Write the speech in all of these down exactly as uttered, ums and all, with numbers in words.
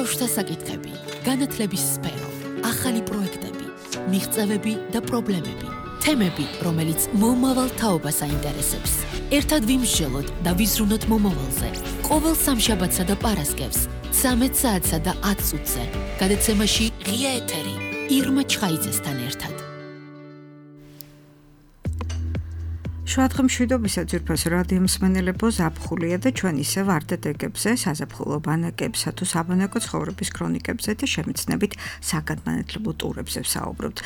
ბავშვთა საკითხები, განათლების სფერო, ახალი პროექტები, მიღწევები და პრობლემები, თემები, რომელიც მომავალ თაობას აინტერესებს. ერთად ვიმსჯელოთ და ვიზრუნოთ მომავალზე. ყოველ სამშაბათსა და პარასკევს, ცამეტ საათსა და ათ წუთზე. გადაცემაში ღია ეთერი, ირმა ჩხაიძესთან ერთად. შუადღე მშვიდობისა ძვირფას რადიო მსმენელებო, ზაფხულია და ჩვენ ისე ვარდეთ ეგებზე, საზაფხულო ბანაკებსა თუ საბანაკო ცხოვრების ქრონიკებზე და შემეცნებით საგანმანათლებლო ტურებზე ვსაუბრობთ.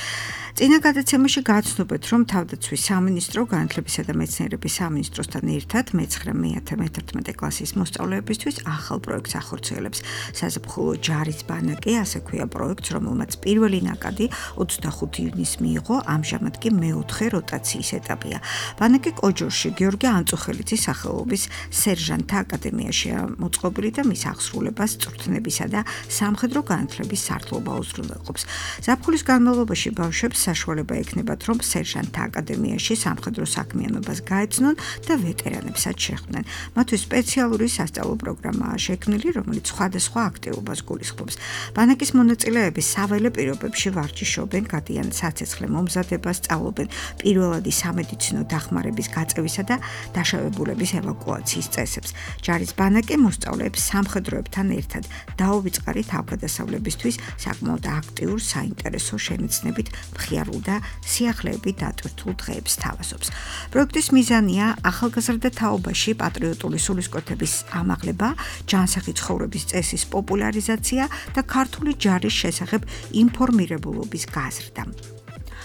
წინა გადაცემაში გააცნობეთ, რომ თავდაცვის სამინისტრო განათლებისა და მეცნიერების სამინისტროსთან ერთად მეცხრე მეათე მეთერთმეტე კლასის მოსწავლეებისთვის ახალ პროექტს ახორციელებს. საზაფხულო ჯარის ბანაკი, ასე ქვია პროექტს, რომელმაც პირველი ნაკადი ოცდახუთი ივნის მიიღო, ამჟამად კი მეოთხე როტაციის ეტაპია. ბანაკი კოჯორში გიორგი ანწუხელიძის სახელობის სერჟანტთა აკადემიაშია მოწყობილი და მის აღსრულებას წვრთნებისა და სამხედრო განათლების სარდლობა უზრუნველყოფს. ზაფხულის განმავლობაში ბავშვებს საშუალება ექნებათ, რომ სერჟანტთა აკადემიაში სამხედრო საქმიანობას გაეცნონ და ვეტერანებსაც შეხვდნენ. მათთვის სპეციალური სასწავლო პროგრამაა შექმნილი, რომელიც სხვადასხვა აქტივობას გულისხმობს. ბანაკის მონაწილეები საველე პირობებში ვარჯიშობენ, გადიან საცეცხლე მომზადებას, სწავლობენ პირველადი სამედიცინო დახმარების გაწევისა და დაშავებულების ევაკუაციის წესებს. ჯარის ბანაკი მოსწავლეებს სამხედროებთან ერთად დაუვიწყარით თავგადასავლებისთვის საკმაოდ აქტიურ, საინტერესო შემეცნებით, მხიარულ და სიახლეებით დატვირთულ დღეებს თავაზობს. პროექტის მიზანია ახალგაზრდა თაობაში პატრიოტული სულისკვეთების ამაღლება, ჯანსაღი ცხოვრების წესის პოპულარიზაცია და ქართული ჯარის შესახებ ინფორმირებულობის გაზრდა.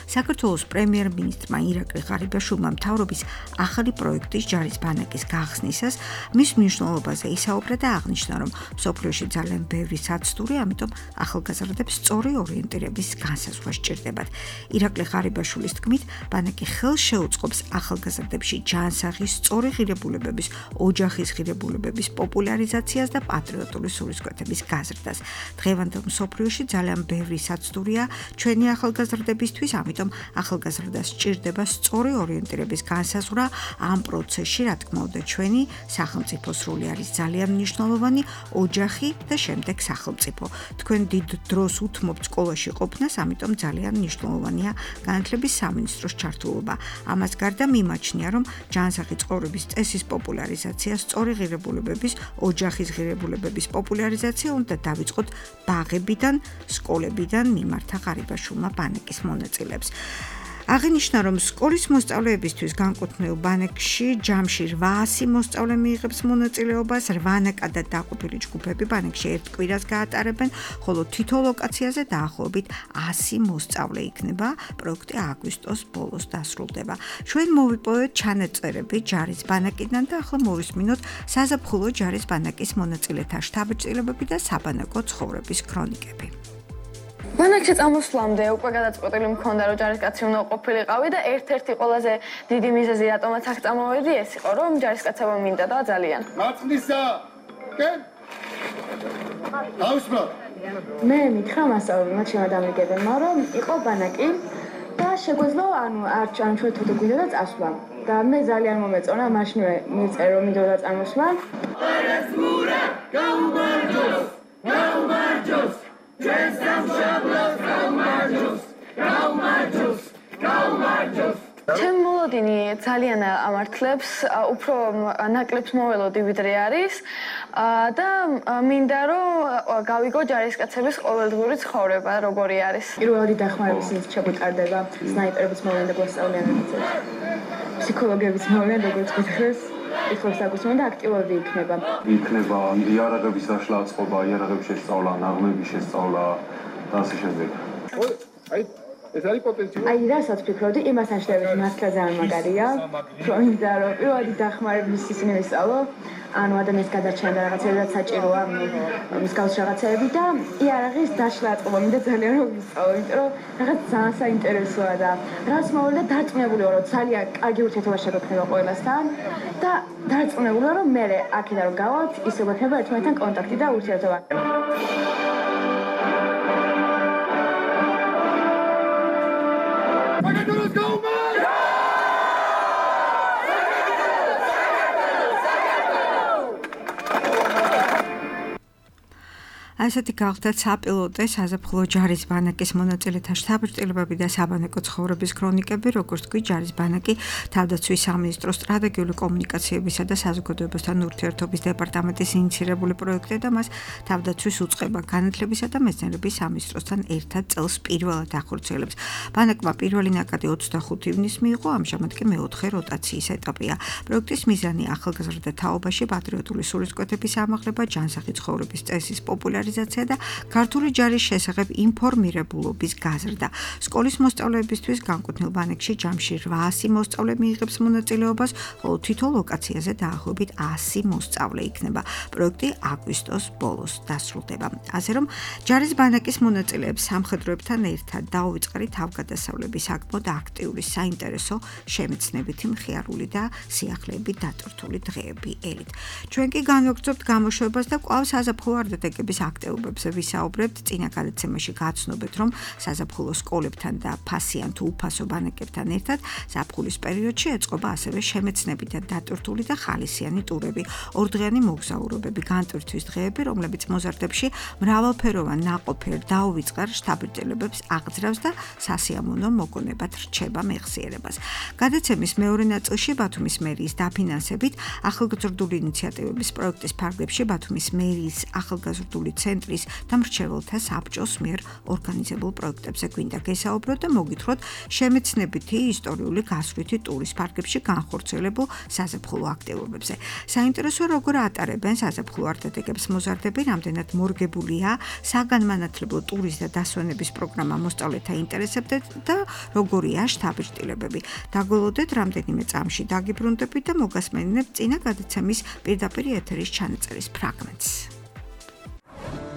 საქართველოს პრემიერ-მინისტრმა ირაკლი ღარიბაშვილმა მთავრობის ახალი პროექტის ჯარის ბანაკის გახსნისას მის მნიშვნელობაზე ისაუბრა და აღნიშნა, რომ მსოფლიოში ძალიან ბევრი საცდური, ამიტომ ახალგაზრდებს სწორი ორიენტირების განსაზღვრა სჭირდებათ. ირაკლი ღარიბაშვილის თქმით, ბანაკი ხელს შეუწყობს ახალგაზრდებში ჯანსაღი, სწორი ღირებულებების, ოჯახის ღირებულებების პოპულარიზაციას და პატრიოტული სულისკვეთების გაზრდას. დღევანდელ მსოფლიოში ძალიან ბევრი საცდურია ჩვენი ახალგაზრდებისთვის, ამიტომ ახალგაზრდას სჭირდება სწორი ორიენტირების განსაზღვრა ამ პროცესში, რა თქმა უნდა, ჩვენი სახელმწიფოს როლი არის ძალიან მნიშვნელოვანი, ოჯახი და შემდეგ სახელმწიფო. თქვენ დიდ დროს უთმობთ სკოლაში ყოფნას, ამიტომ ძალიან მნიშვნელოვანია განათლების სამინისტროს ჩართულობა. ამას გარდა მიმაჩნია, რომ ჯანსაღი ცხოვრების წესის პოპულარიზაცია, სწორი ღირებულებების, ოჯახის ღირებულებების პოპულარიზაცია უნდა დავიწყოთ ბაღებიდან, სკოლებიდან, მიმართა ღარიბაშვილმა ბანაკის მონაწილეებს. აღინიშნა, რომ სკოლის მოსწავლეებისთვის განკუთვნილ ბანაკში ჯამში რვაასი მოსწავლე მიიღებს მონაწილეობას, რვა ნაკადად დაყოფილი ჯგუფები ბანაკში ერთ კვირას გაატარებენ, ხოლო თითო ლოკაციაზე დაახლოებით ასი მოსწავლე იქნება. პროექტი აგვისტოს ბოლოს დასრულდება. ჩვენ მოვიპოვეთ ჩანაწერები ჯარის ბანაკიდან და ახლა მოვისმინოთ საზაფხულო ჯარის ბანაკის მონაწილეთა შთაბეჭდილებები და საბანაკო ცხოვრების ქრონიკები. ბანაკში წამოსვლამდე უკვე გადაწყვეტილი მქონდა, რომ ჯარისკაცი უნდა ყოფილიყავი და ერთ-ერთი ყველაზე დიდი მიზეზი, რატომაც აქ წამოვედი, ეს იყო, რომ ჯარისკაცობა მინდა და ძალიან. მაწნისა! კენ? დაუსმოთ. მე მითხრა მასწავლებლმა, ჩემმა დამიგებელმა, რომ იყო ბანაკი და შეგვეძლო, ანუ არ ჩვენ თვითონ გვინდა წასვლა. და მე ძალიან მომეწონა, მაშინვე მიწერე, რომ მინდოდა წამოსვლა. პერესმურა, გაუმარჯოს! გაუმარჯოს! ჩვენ სამშაბლოს გაუმარჯოს! გაუმარჯოს! გაუმარჯოს! ჩემ მოლოდინი ძალიან ამართლებს, უფრო ნაკლებს მოველოდი ვიდრე არის და მინდა რომ გავიგო ჯარისკაცების ყოველდღიური ცხოვრება როგორი არის. პირველადი დახმარების ის შეგვიტარდება, სნაიპერების მოვლენდა გვასწავლიანებიცებს. ფსიქოლოგების მოვლენდა როგორც გითხრეს, ითხოვს აკუსმენ და აქტიურები იქნება. იქნება იარაღების დაშლა აწყობა, იარაღების შესწავლა, ნაღმების შესწავლა და ასე შემდეგ. აი ეს არის პოტენციალი. აი რასაც ვფიქრობდი, იმას აშლებით მართლა ძალიან მაგარია. პროინდა რომ პირველადი დახმარების ისინი ვისწავლო, ანუ ადამიანის გადარჩენა და რაღაცებად საჭიროა მსგავს რაღაცეები და იარაღის დაშლა აწყობა მინდა ძალიან რომ ვისწავლო, იმიტომ რომ რაღაც ძალიან საინტერესოა და რაც მოვიდა დარწმუნებული ვარ, რომ ძალიან კარგი ურთიერთობა შეგვექნება ყველასთან და დარწმუნებული ვარ, რომ მე აქედან რომ გავალთ, ისე გვექნება ერთმანეთთან კონტაქტი და ურთიერთობა. საქართველოს გაუმარჯოს! ასეთი გახდათ საპილოტე საზაფხულო ჯარის ბანაკის მონაწილეთა შთაბეჭდილებები და საბანაკო ცხოვრების ქრონიკები, როგორც თქვი, ჯარის ბანაკი თავდაცვის სამინისტროს სტრატეგიული კომუნიკაციებისა და საზოგადოებასთან ურთიერთობის დეპარტამენტის ინიციირებული პროექტი და მას თავდაცვის უწყება განათლებისა და მეცნიერების სამინისტროსთან ერთად წელს პირველად ახორციელებს. ბანაკმა პირველი ნაკადი ოცდახუთი ივნისს მიიღო, ამჟამად კი მეოთხე როტაციის ეტაპია. პროექტის მიზანი ახალგაზრდა თაობაში პატრიოტული სულისკვეთების ამაღლება, ჯანსაღი ცხოვრების წესის პოპულარიზაცია და ქართული ჯარის შესახებ ინფორმირებულობის გაზრდა. სკოლის მოსწავლეებისთვის განკუთვნილ ბანაკში ჯამში რვაასი მოსწავლე მიიღებს მონაწილეობას, ხოლო თითო ლოკაციაზე დაახლოებით ასი მოსწავლე იქნება. პროექტი აგვისტოს ბოლოს დასრულდება. ასე რომ ჯარის ბანაკის მონაწილეებს სამხედროებთან ერთად დაუვიწყარი თავგადასავლების აკმოდ აქტიური საინტერესო შემეცნებითი მხიარული და სიახლეებით დატვირთული დღეები ელით. ჩვენ კი განვაგრძობთ გამოშვებას და კვლავ საზაფხულო არდადეგების აქტივობებზე ვისაუბრებთ. წინა გადაცემაში გაცნობეთ, რომ საზაფხულო სკოლებთან და ფასიან თუ უფასო ბანაკებთან ერთად ზაფხულის პერიოდში ეწყობა ასევე შემეცნებითად დატვირთული და ხალისიანი ტურები, ორდღიანი მოგზაურობები, განტვირთვის დღეები, რომლებიც მოზარდებში მრავალფეროვან ნაყოფიერ დაუვიწყარ შთაბეჭდილებებს აღძრავს და სასიამოვნო მოგონებად რჩება მეხსიერებას. გადაცემის მეორე ნაწილში ბათუმის მერიის დაფინანსებით ახალგაზრდული ინიციატივების პროექტის ფარგლებში ბათუმის მერიის ახალგაზრდული ცენტრის და მრჩეველთა საბჭოს მიერ ორგანიზებულ პროექტებზე გვინდა გესაუბროთ და მოგითხროთ შემეცნებითი ისტორიული გასვლითი ტურის ფარგლებში განხორციელებულ საზაფხულო აქტივობებზე. საინტერესოა როგორ ატარებენ საზაფხულო არდადეგებს მოზარდები, რამდენად მორგებულია საგანმანათლებლო ტურის და დასვენების პროგრამა მოსწავლეთა ინტერესებზე და როგორია შთაბეჭდილებები. დაგველოდეთ რამდენიმე წამში დაგიბრუნდებით და მოგასმენინებთ წინა გადაცემის პირდაპირ ეთერის ჩანაწერის ფრაგმენტს.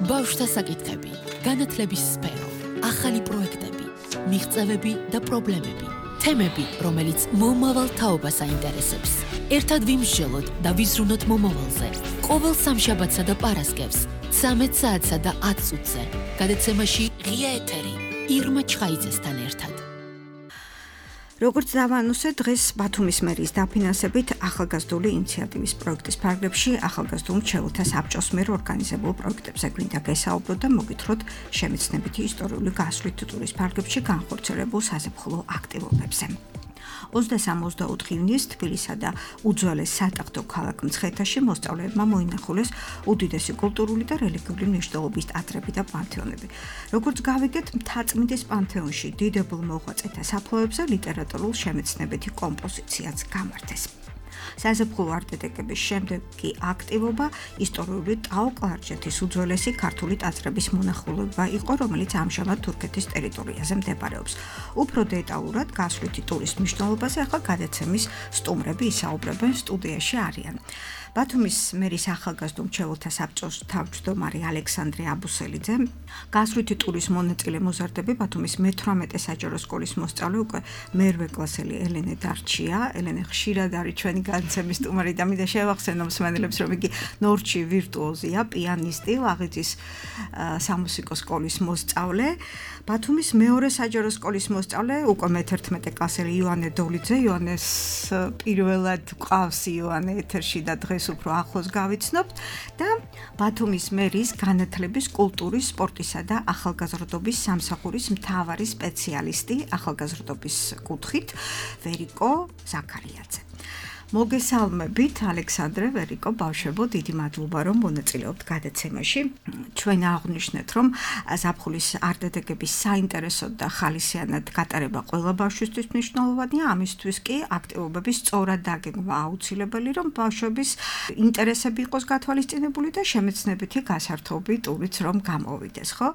ბავშვთა საკითხები, განათლების სფერო, ახალი პროექტები, მიღწევები და პრობლემები, თემები, რომელიც მომავალ თაობას აინტერესებს. ერთად ვიმსჯელოთ და ვიზრუნოთ მომავალზე. ყოველ სამშაბათსა და პარასკევს, ცამეტ საათსა და ათ წუთზე. გადაცემაში ღია ეთერი ირმა ჩხაიძესთან ერთად. როგორც დავანუსე, დღეს ბათუმის მერიის დაფინანსებით ახალგაზრდული ინიციატივის პროექტის ფარგლებში ახალგაზრდულ მრჩეველთა საბჭოს მიერ ორგანიზებულ პროექტებზე გვინდა გესაუბროთ და მოგითხროთ შემეცნებითი ისტორიული გასვლით ტურის ფარგლებში განხორციელებულ საზაფხულო აქტივობებზე. ოცდასამ ოცდაოთხი ივნისს თბილისსა და უძველეს სატახტო ქალაქ მცხეთაში მოსწავლეებმა მოინახულეს უდიდესი კულტურული და რელიგიური მნიშვნელობის ტაძრები და პანთეონები. როგორც გავიგეთ, მთაწმინდის პანთეონში დიდებულ მოღვაწეთა საფლავებზე ლიტერატურულ შემეცნებითი კომპოზიციაც გამართეს. საზაფხულო არდადეგების შემდეგი აქტივობა ისტორიული ტაო-კლარჯეთის უძველესი ქართული ტაძრების მონახულება იყო, რომელიც ამჟამად თურქეთის ტერიტორიაზე მდებარეობს. უფრო დეტალურად გასვლითი ტურის მნიშვნელობაზე ახლა გადაცემის სტუმრები ისაუბრებენ, სტუდიაში არიან. ბათუმის მერის ახალგაზრდულ მრჩეველთა საბჭოს თავმჯდომარე ალექსანდრე აბუსელიძე, გასვლითი ტურის მონაწილე მოზარდები ბათუმის მეთვრამეტე საჯარო სკოლის მოსწავლე უკვე მერვე კლასელი ელენე დარჩია. ელენე ხშირად არის ჩვენი განცემის სტუმარი და მინდა შევახსენო მსმენელებს, რომ იგი ნორჩი ვირტუოზია, პიანისტი, ლაღიძის სამუსიკო სკოლის მოსწავლე. ბათუმის მეორე საჯარო სკოლის მოსწავლე, უკვე მეთერთმეტე კლასელი იოანე დოლიძე. იოანეს პირველად გვყავს იოანე ეთერში და დღეს უფრო ახლოს გავიცნობთ და ბათუმის მერის განათლების, კულტურის, სპორტისა და ახალგაზრდობის სამსახურის მთავარი სპეციალისტი ახალგაზრდობის კუთხით ვერიკო ზაქარიაძე. მოგესალმებით ალექსანდრე, ვერიკო, ბავშვებო, დიდი მადლობა რომ მონაწილეობთ გადაცემაში. ჩვენ აღვნიშნეთ, რომ ზაფხულის არდადეგების საინტერესო და ხალისიანად გატარება ყველა ბავშვისთვის მნიშვნელოვანია, ამისთვის კი აქტივობების სწორად დაგეგმვა აუცილებელი, რომ ბავშვების ინტერესები იყოს გათვალისწინებული და შემეცნებითი გასართობი ტურიც რომ გამოვიდეს, ხო?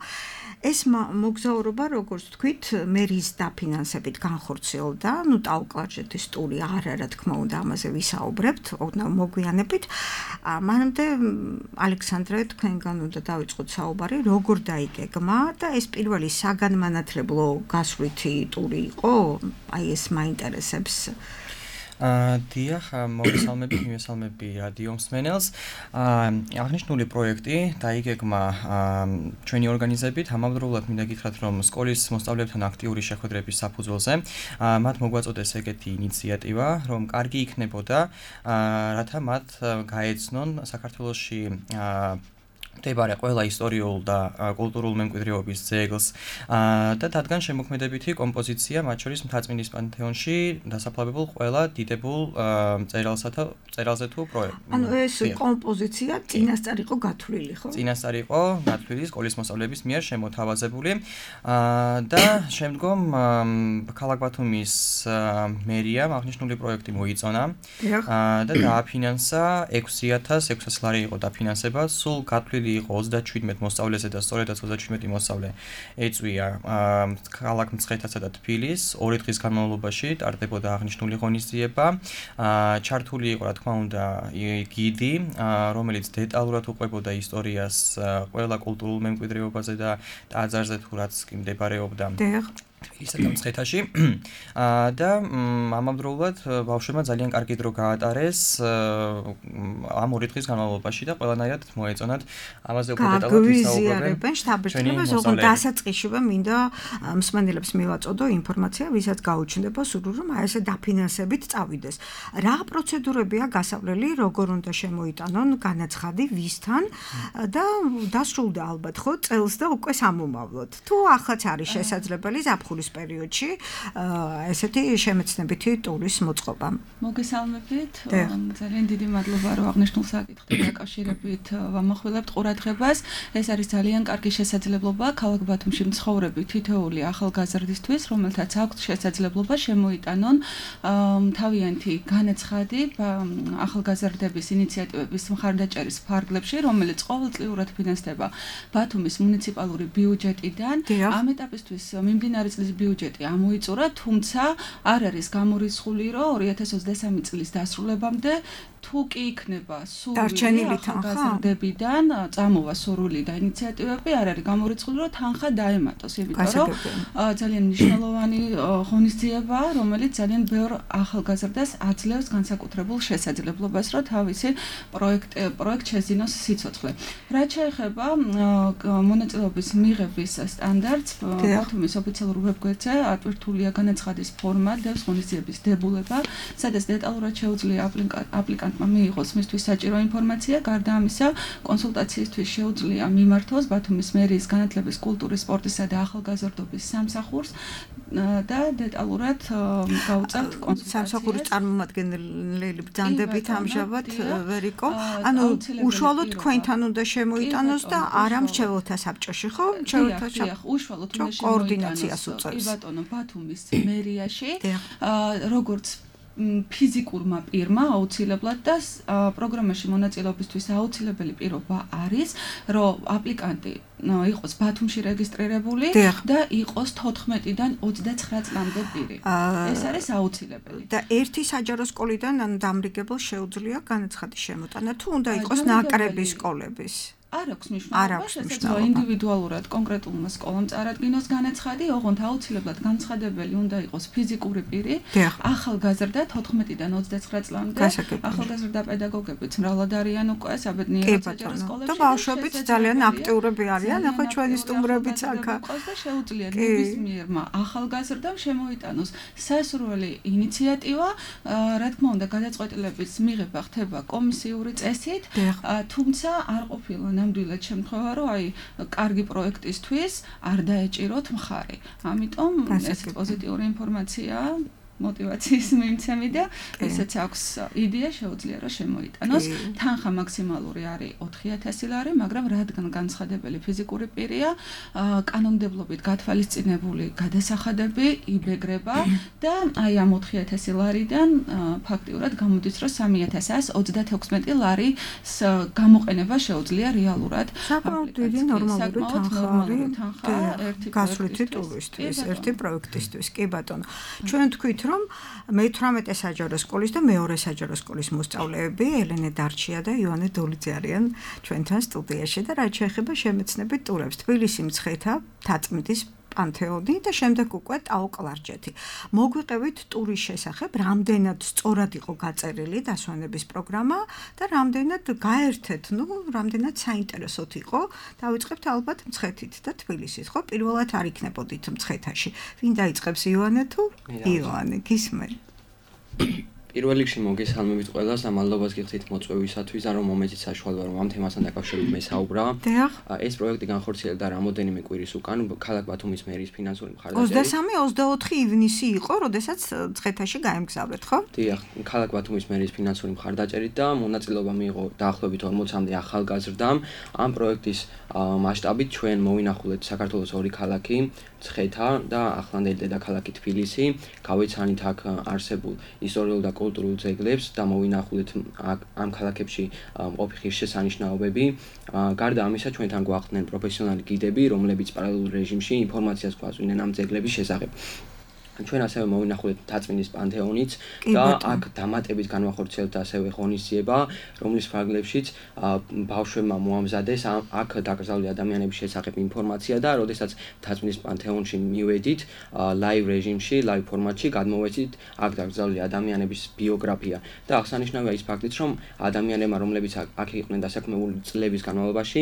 ეს მოგზაურობა, როგორც თქვით, მერის დაფინანსებით განხორციელდა, ნუ ტაო-კლარჯეთის ტური არ არა, თქმა უნდა, ამაზე ვისაუბრებთ, მოგვიანებით. მანამდე ალექსანდრე, თქვენგან უნდა დავიწყოთ საუბარი, როგორ დაიგეგმა და ეს პირველი საგანმანათლებლო გასვლითი ტური იყო? აი ეს მაინტერესებს. დიახ, მოგესალმებით, მივესალმები რადიო მსმენელს. აღნიშნული პროექტი დაიგეგმა ჩვენი ორგანიზებით, ამავდროულად მინდა გითხრათ, რომ სკოლის მოსწავლეებთან აქტიური შეხვედრების საფუძველზე მათ მოგვაწოდეს ეგეთი ინიციატივა, რომ კარგი იქნებოდა, რათა მათ გაეცნონ საქართველოში მდებარე ყველა ისტორიულ და კულტურულ მემკვიდრეობის ძეგლს და დადგან შემოქმედებითი კომპოზიცია, მათ შორის მთაწმინდის პანთეონში დასაფლავებულ ყველა დიდებულ წერილსა და წერილზე თუ პროექტს. ანუ ეს კომპოზიცია წინასწარ იყო გათვლილი, ხო? წინასწარ იყო გათვლილი სკოლის მოსწავლეების მიერ შემოთავაზებული და შემდგომ ქალაქ ბათუმის მერიამ აღნიშნული პროექტი მოიწონა და დააფინანსა ექვსი ათას ექვსას ლარი იყო დაფინანსება, სულ გათვლილი იყო ოცდაჩვიდმეტ მოსწავლეზე და სწორედაც ოცდაჩვიდმეტი მოსწავლე ეწვია ქალაქ მცხეთასა და თბილისს. ორი დღის განმავლობაში ტარდებოდა აღნიშნული ღონისძიება. ჩართული იყო, რა თქმა უნდა, გიდი, რომელიც დეტალურად უყვებოდა ისტორიას ყველა კულტურულ მემკვიდრეობაზე და ტაძარზე თუ რაც კი მდებარეობდა. თბილისსა და მცხეთაში და ამავდროულად ბავშვებმა ძალიან კარგი დრო გაატარეს ამ ორი დღის განმავლობაში და ყველანაირად მოეწონათ ამაზე უფრო დეტალურად ვისაუბრებენ შტაბ-ბიჭდრებას, ოღონდ დასაწყისშივე მინდა მსმენელებს მივაწოდო ინფორმაცია, ვისაც გაუჩნდება სურვილი, რომ აი ესე დაფინანსებით წავიდეს. რა პროცედურებია გასავლელი, როგორ უნდა შემოიტანონ განაცხადი, ვისთან და დასრულდა ალბათ ხო წელს და უკვე სამომავლოდ. თუ ახაც არის შესაძლებელი ზაფხულის პერიოდში ესეთი შემეცნებითი ტურის მოწყობა. მოგესალმებით. ძალიან დიდი მადლობა, რომ აღნიშნულ საკითხთან დაკავშირებით ვამახვილებთ ყურადღებას. ეს არის ძალიან კარგი შესაძლებლობა ქალაქ ბათუმში მცხოვრები თითოეული ახალგაზრდისთვის, რომელთაც აქვს შესაძლებლობა შემოიტანონ თავიანთი განაცხადი ახალგაზრდების ინიციატივების მხარდაჭერის ფარგლებში, რომელიც ყოველწლიურად ფინანსდება ბათუმის მუნიციპალური ბიუჯეტიდან. ამ ეტაპისთვის მიმდინარე წლის ბიუჯეტი ამოიწურა, თუმცა არ არის გამორიცხული, რომ ორი ათას ოცდასამი წლის დასრულებამდე თუ კი იქნება სურვილი ახალგაზრდებიდან წამოვა სურვილი და ინიციატივები, არ არის გამორიცხული, რომ თანხა დაემატოს, იმიტომ რომ ძალიან მნიშვნელოვანი ღონისძიებაა, რომელიც ძალიან ბევრ ახალგაზრდას აძლევს განსაკუთრებულ შესაძლებლობას, რომ თავისი პროექტ პროექტ შეძინოს სიცოცხლე. რაც შეეხება მონაწილეობის მიღების სტანდარტს, ბათუმის ოფიციალურ ვებგვერდზე ატვირთულია განაცხადის ფორმა, დევს ღონისძიების დებულება, სადაც დეტალურად შეუძლია აპლიკანტმა მიიღოს მისთვის საჭირო ინფორმაცია. გარდა ამისა, კონსულტაციისთვის შეუძლია მიმართოს ბათუმის მერიის განათლების, კულტურის, სპორტისა და ახალგაზრდობის სამსახურს და დეტალურად გაუწევთ კონსულტაციას. სამსახურის წარმომადგენელი ბრძანდებით ამჟამად ვერ იყო. ანუ უშუალოდ თქვენთან უნდა შემოიტანოს და არა მრჩეველთა საბჭოში, ხო? მრჩეველთა საბჭო. უშუალოდ უნდა კოორდინაციას უწევს. ბატონო, ბათუმის მერიაში, როგორც ფიზიკურმა პირმა აუცილებლად და პროგრამაში მონაწილეობისთვის აუცილებელი პირობა არის, რომ აპლიკანტი იყოს ბათუმში რეგისტრირებული და იყოს თოთხმეტიდან ოცდაცხრა წლამდე პირი. ეს არის აუცილებელი. და ერთი საჯარო სკოლიდან ანუ დამრიგებელს შეუძლია განაცხადის შემოტანა, თუ უნდა იყოს ნაკრები სკოლების. არ აქვს მნიშვნელობა, შესაძლოა ინდივიდუალურად კონკრეტულმა სკოლამ წარადგინოს განაცხადი, ოღონდ აუცილებლად განცხადებელი უნდა იყოს ფიზიკური პირი, ახალგაზრდა თოთხმეტიდან ოცდაცხრა წლამდე, ახალგაზრდა პედაგოგებიც მრავლად არიან უკვე საბედნიერად საჯარო სკოლებში. და ბავშვებიც ძალიან აქტიურები არიან, ახლა ჩვენი სტუმრებიც აქა. და შეუძლია ნებისმიერმა ახალგაზრდამ შემოიტანოს სასურველი ინიციატივა, რა თქმა უნდა, გადაწყვეტილების მიღება ხდება კომისიური წესით, თუმცა არ ყოფილა ნამდვილად შემთხვევა, რომ აი კარგი პროექტისთვის არ დაეჭიროთ მხარი. ამიტომ ეს პოზიტიური ინფორმაციაა. мотиваციის მიმცემი და ესეც აქვს იდეა შეუძლია რომ შემოიტანოს. თანხა მაქსიმალური არის ოთხი ათასი ლარი, მაგრამ რადგან განცხადებელი ფიზიკური პირია, კანონმდებლობით გათვალისწინებული გადასახადები იბეგრება და აი ამ ოთხი ათასი ლარიდან ფაქტიურად გამოდის რომ სამი ათას ოცდათექვსმეტი ლარი გამოყენება შეუძლია რეალურად. საკმაოდ დიდი ნორმალური თანხა არის გასვლითი ტურისთვის, ერთი პროექტისთვის. კი ბატონო. ჩვენ თქვით რომ მეთვრამეტე საჯარო სკოლის და მეორე საჯარო სკოლის მოსწავლეები ელენე დარჩია და ივანე დოლიძე არიან ჩვენთან სტუდიაში და რაც შეეხება შემეცნებით ტურებს თბილისი, მცხეთა, თაწმინდის პანთეონი და შემდეგ უკვე ტაო კლარჯეთი. მოგვიყევით ტურის შესახებ, რამდენად სწორად იყო გაწერილი დასვენების პროგრამა და რამდენად გაერთეთ, ну, რამდენად საინტერესოდ იყო. დავიწყებთ ალბათ მცხეთით და თბილისით, ხო? პირველად არ იქნებოდით მცხეთაში. ვინ დაიწყებს, ივანე თუ? ივანე, გისმენ. პირველ რიგში მოგესალმებით ყველას და მადლობას გიხდით მოწვევისათვის და რომ მომეცით საშუალება რომ ამ თემასთან დაკავშირებით მესაუბრა. ეს პროექტი განხორციელდა რამოდენიმე კვირის უკან ქალაქ ბათუმის მერის ფინანსური მხარდაჭერით. ოცდამესამე ოცდაოთხი ივნისი იყო, როდესაც ცხეთაში გაემგზავრეთ, ხო? დიახ, ქალაქ ბათუმის მერის ფინანსური მხარდაჭერით და მონაწილეობა მიიღო დაახლოებით ორმოცამდე ახალგაზრდამ. ამ პროექტის მასშტაბით ჩვენ მოვინახულეთ საქართველოს ორი ქალაქი, ცხეთა და ახლანდელი დედაქალაქი თბილისი. გავეცანით აქ არსებულ ისტორიულ და კულტურულ ძეგლებს და მოვინახულეთ ამ ქალაქებში მყოფი ღირსშესანიშნაობები. გარდა ამისა, ჩვენთან გვახვდნენ პროფესიონალი გიდები, რომლებიც პარალელურ რეჟიმში ინფორმაციას გვაწვდიდნენ ამ ძეგლების შესახებ. ჩვენ ასევე მოვინახულეთ დაწმინდის პანთეონიც და აქ დამატებით განვახორციელებთ ასევე ღონისძიება, რომლის ფარგლებშიც ბავშვებმა მოამზადეს აქ დაკრძალული ადამიანების შესახებ ინფორმაცია და როდესაც დაწმინდის პანთეონში მივედით ლაივ რეჟიმში, ლაივ ფორმატში გადმოვეცით აქ დაკრძალული ადამიანების ბიოგრაფია და აღსანიშნავია ის ფაქტიც, რომ ადამიანებმა, რომლებიც აქ იყვნენ დასაქმებული წლების განმავლობაში,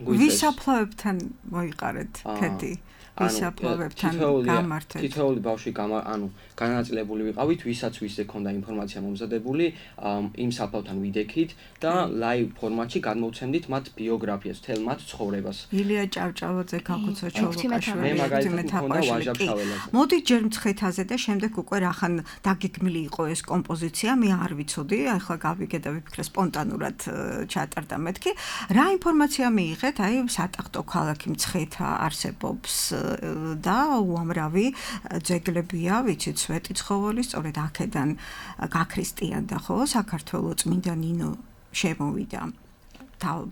ვისაფლავებთან მოიყარეთ ქედი. ვისაფლავებთან გამართეთ. თითოეული ბავშვი ანუ განაწილებული ვიყავით, ვისაც ვისზე ქონდა ინფორმაცია მომზადებული, იმ საფლავთან ვიდექით და ლაივ ფორმატში გადმოვცემდით მათ ბიოგრაფიას, მთელ მათ ცხოვრებას. ილია ჭავჭავაძე, გაკუცა ჩოლოკაშვილი, მე მაგალითად მქონდა ვაჟა ფშაველაძე. მოდით ჯერ მცხეთაზე და შემდეგ უკვე რახან დაგეგმილი იყო ეს კომპოზიცია, მე არ ვიცოდი, ახლა გავიგე და ვიფიქრე სპონტანურად ჩატარდა მეთქი. რა ინფორმაცია მიიღეთ? აი, სატახტო ქალაქი მცხეთა არსებობს და უამრავი ძეგლებია, ვიცით, სვეტიცხოველი, სწორედ აქედან გაქრისტიანდა, ხო, საქართველოს წმინდა ნინო შემოვიდა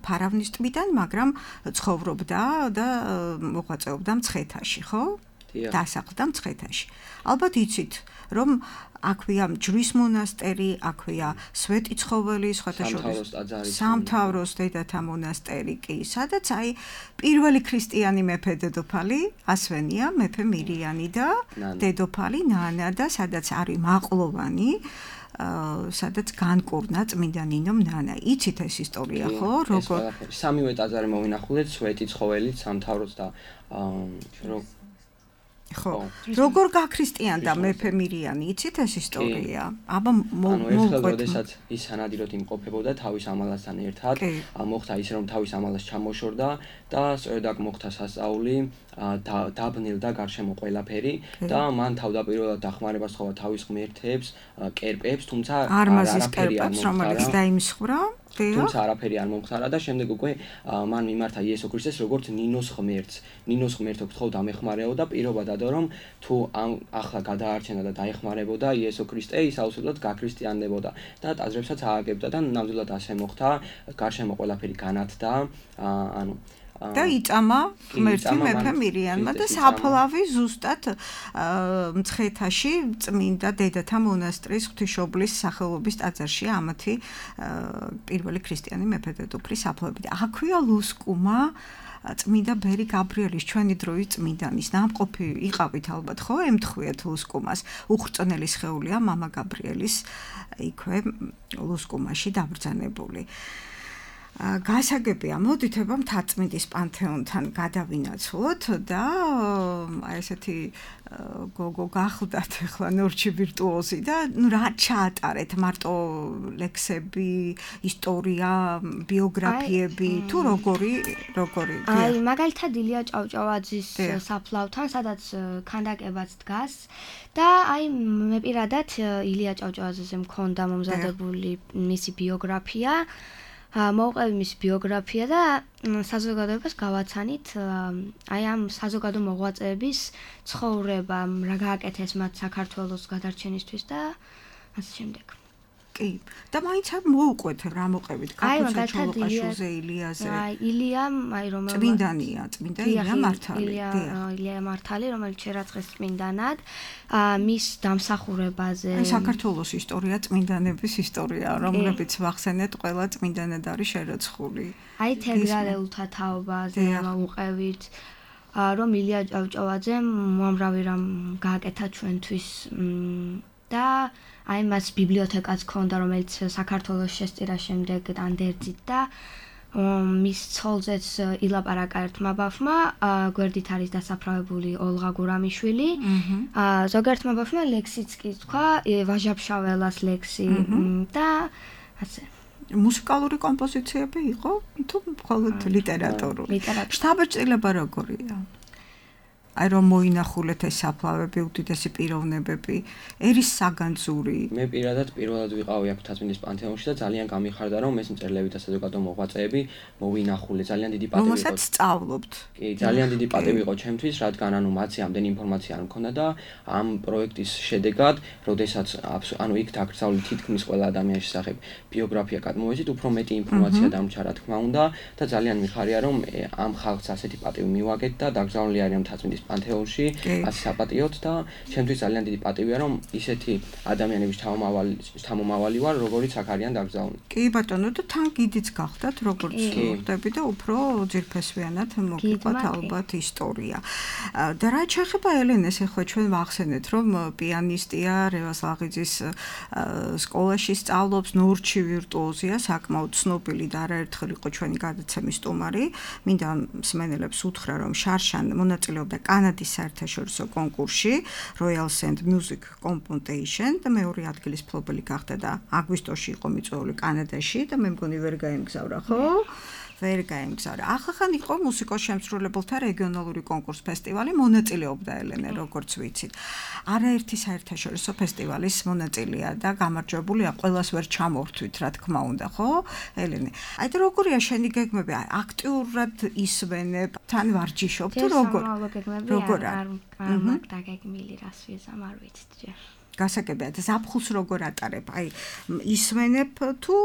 ფარავნის ტბიდან, მაგრამ ცხოვრობდა და მოღვაწეობდა მცხეთაში, ხო? დასახლდა მცხეთაში. ალბათ იცით, რომ აქვეა ჯვრის მონასტერი, აქვეა სვეტიცხოველი, სხვათა შორის სამთავროს დედათა მონასტერი კი, სადაც აი პირველი ქრისტიანი მეფე დედოფალი ასვენია, მეფე მირიანი და დედოფალი ნანა და სადაც არის მაყლოვანი, სადაც განკურნა წმინდა ნინომ ნანა. იცით ეს ისტორია, ხო? როგორ სამივე ტაძარი მოვინახულეთ, სვეტიცხოველი, სამთავროს და ხო. როგორ გაქრისტიანდა მეფე მირიანი, იცით ეს ისტორია? აბა მოუყვეთ. როდესაც ის სანადიროდ იმყოფებოდა თავის ამალასთან ერთად, მოხდა ის რომ თავის ამალას ჩამოშორდა და სწორედ აქ მოხდა სასწაული, დაბნელდა გარშემო ყველაფერი და მან თავდაპირველად დახმარებას სთხოვა თავის ღმერთებს, კერპებს, თუმცა არმაზის კერპებს, რომელიც დაიმსხვრა. თუმცა არაფერი არ მომხდარა და შემდეგ უკვე მან მიმართა იესო ქრისტეს როგორც ნინოს ღმერთს. ნინოს ღმერთო გთხოვდა მეხმარეო და პირობა დადო რომ თუ ახლა გადაარჩენა და დაეხმარებოდა იესო ქრისტე, ის აუცილებლად გაქრისტიანდებოდა და ტაძრებსაც ააგებდა და ნამდვილად ასე მოხდა. გარშემო ყველაფერი განათდა, ანუ და იწამა ღმერთი მეფე მირიანმა და საფლავი ზუსტად მცხეთაში წმინდა დედათა მონასტრის ღვთისმშობლის სახელობის ტაძარში ამათი პირველი ქრისტიანი მეფე დედოფლის საფლავები. აქვეა ლუსკუმა წმინდა ბერი გაბრიელის, ჩვენი დროის წმინდანის ნამყოფი იყავით ალბათ, ხო? ემთხვიეთ ლუსკუმას. უხრწნელი სხეულია მამა გაბრიელის იქვე ლუსკუმაში დაბრძანებული. გასაგებია, მოდით ება მთაწმინდის პანთეონთან გადავინაცვლოთ და აი ესეთი გოგო გახლდათ ახლა ნორჩი ვირტუოზი და ნუ რა ჩაატარეთ, მარტო ლექსები, ისტორია, ბიოგრაფიები, თუ როგორი, როგორი? აი, მაგალითად ილია ჭავჭავაძის საფლავთან, სადაც ქანდაკებაც დგას და აი მე პირადად ილია ჭავჭავაძეზე მქონდა მომზადებული მისი ბიოგრაფია. მოვყევი მის ბიოგრაფია და საზოგადოებას გავაცანით აი ამ საზოგადო მოღვაწეების ცხოვრება, რა გააკეთეს მათ საქართველოს გადარჩენისთვის და ასე შემდეგ. კი. და მაინც არ მოუყვეთ რა მოყევით გაკუცა ჩოლოყაშვილზე ილიაზე. აი ილიამ აი რომელიც წმინდანია, წმინდა ილია მართალი. ილია მართალი, რომელიც შერაცხეს წმინდანად, მის დამსახურებაზე. აი საქართველოს ისტორია, წმინდანების ისტორია, რომლებიც ვახსენეთ, ყველა წმინდანად არის შერაცხული. აი თერგალეულთა თაობაზე მოვუყევით, რომ ილია ჭავჭავაძემ უამრავი რამ გააკეთა ჩვენთვის და აი მას ბიბლიოთეკაც ჰქონდა, რომელიც საქართველოს შესწირა შემდეგ ანდერძით და მის ცოლზეც ილაპარაკა ერთმა ბავშვმა, გვერდით არის დასაფრავებული ოლღა გურამიშვილი. ზოგერთმა ბავშვმა ლექსიც კი თქვა, ვაჟაფშაველას ლექსი და ასე. მუსიკალური კომპოზიციები იყო თუ მხოლოდ ლიტერატურული? შთაბეჭდილება როგორია? აი რომ მოინახულეთ ეს საფლავები, უდიდესი პიროვნებები, ერის საგანძური. მე პირადად პირველად ვიყავი აქ თათმინდის პანთეონში და ძალიან გამიხარდა რომ ეს მწერლები და საზოგადო მოღვაწეები მოვინახულე. ძალიან დიდი პატივი იყო. რომელსაც სწავლობთ. კი, ძალიან დიდი პატივი იყო ჩემთვის, რადგან ანუ მათი ამდენი ინფორმაცია არ მქონდა და ამ პროექტის შედეგად, როდესაც ანუ იქ დაკრძალული თითქმის ყველა ადამიანის შესახებ ბიოგრაფია გადმოვეცით, უფრო მეტი ინფორმაცია დამრჩა რა თქმა უნდა და ძალიან მიხარია რომ ამ ხალხს ასეთი პატივი მივაგეთ და დაკრძალული არის ამ თათმინდის პანთეონში ასე საპატიოდ და ჩემთვის ძალიან დიდი პატივია რომ ისეთი ადამიანების შთამომავალი ვარ როგორიც აქ არიან დაკრძალული. კი ბატონო და თან გიდიც გახდათ როგორც ხდები და უფრო ძირფესვიანად მოგიყვათ ალბათ ისტორია. და რა შეეხება ელენეს, ახლა ჩვენ ვახსენეთ რომ პიანისტია, რევაზ ლაღიძის სკოლაში სწავლობს, ნორჩი ვირტუოზია, საკმაოდ ცნობილი და არაერთხელ იყო ჩვენი გადაცემის სტუმარი. მინდა მსმენელებს უთხრა რომ შარშან მონაწილეობდა კანადის საერთაშორისო კონკურსში Royal Sand Music Competition და მეორე ადგილის მფლობელი გახდა და აგვისტოში იყო მიწვეული კანადაში და მე მგონი ვერ გაემგზავრა, ხო? ვერ გაემგზავრა. ახლა იყო მუსიკოს შემსრულებელთა რეგიონალური კონკურს ფესტივალი, მონაწილეობდა ელენე, როგორც ვიცით. არაერთი საერთაშორისო ფესტივალის მონაწილეა და გამარჯვებულია, ყველას ვერ ჩამორთვით, რა თქმა უნდა, ხო? ელენე. აი და როგორია შენი გეგმები? აქტიურად ისვენებ, თან ვარჯიშობ თუ როგორ? როგორ არ არ დაგეგმილი რას ვიზამ არ ვიცით ჯერ. გასაგებია და ზაფხულს როგორ ატარებ? აი ისვენებ თუ